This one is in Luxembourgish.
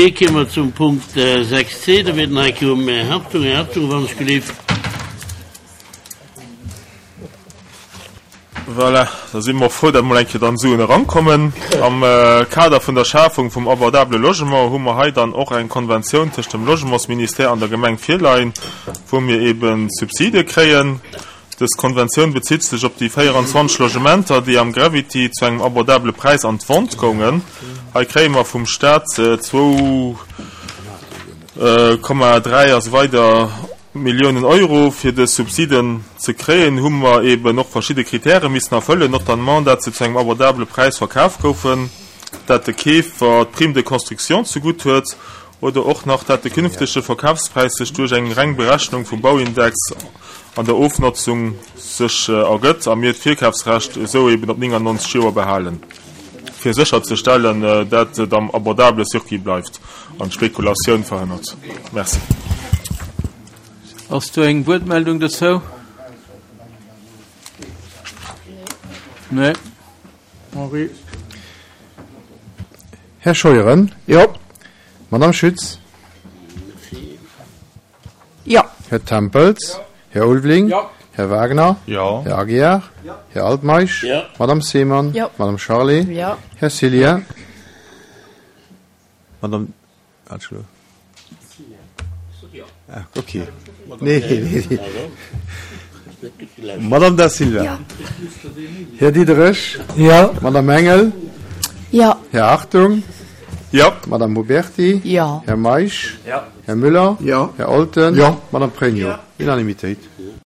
Merci. Komme mer zum Punkt 6c. Da wier den Heike um Här Hartung. Här Hartung, wann ech gelift. Voilà, da si mer och frou, datt mol eng Kéier dann Suen erankommen. Am Kader vun der Schafung vum abordabele Logement hu mer hei dann och eng Konventioun tëscht dem Logementsministère an der Gemeng virleien, wou mir eebe Subside kréien. Dës Konventioun bezitt sech op déi 24 Logementer, déi am Gravity zu engem abordabele Präis an d'Vente goungen. Hei kréie mer vum Staat 2,3 a sou weider Milliounen Euro. Fir dës Subsiden ze kréien, hu mer eeben och verschidde Kritäre missen erfëllen, notamment dat se zu engem abordabele Präis verkaf goufen, dat de Keefer d'Prime de construction zegutt huet oder och nach dat de künftege Verkafspräis sech duerch eng reng Berechnung vum Bauindex an der Ofnotzung sech ergëtt a mir d'Virkafsrecht esou eben op 99 Joer behalen, fir sécherzestellen, dat et am abordabele Circuit bleift an d'Spekulatioun verhënnert. Merci. Ass do eng Wuertmeldung dozou? Nee. Henri. Här Scheuren? Jo. Madame Schütz? Jo. Här Tempels? Här Ulveling? Jo. Här Wagner? Jo. Här Aguiar? Här Altmeisch? Jo. Madame Seemann? Jo. Madame Charlé? Jo. Här Cillien? Madame Atschlo. Ah, okay. Nee, nee, nee. Madame Da Silva. Ja. Här Diderich. Ja. Madame Engel. Ja. Här Hartung. Ja. Madame Huberti. Ja. Här Meisch. Ja. Här Müller. Ja. Här Olten. Ja. Madame Pregno. Ja. Unanimitéit.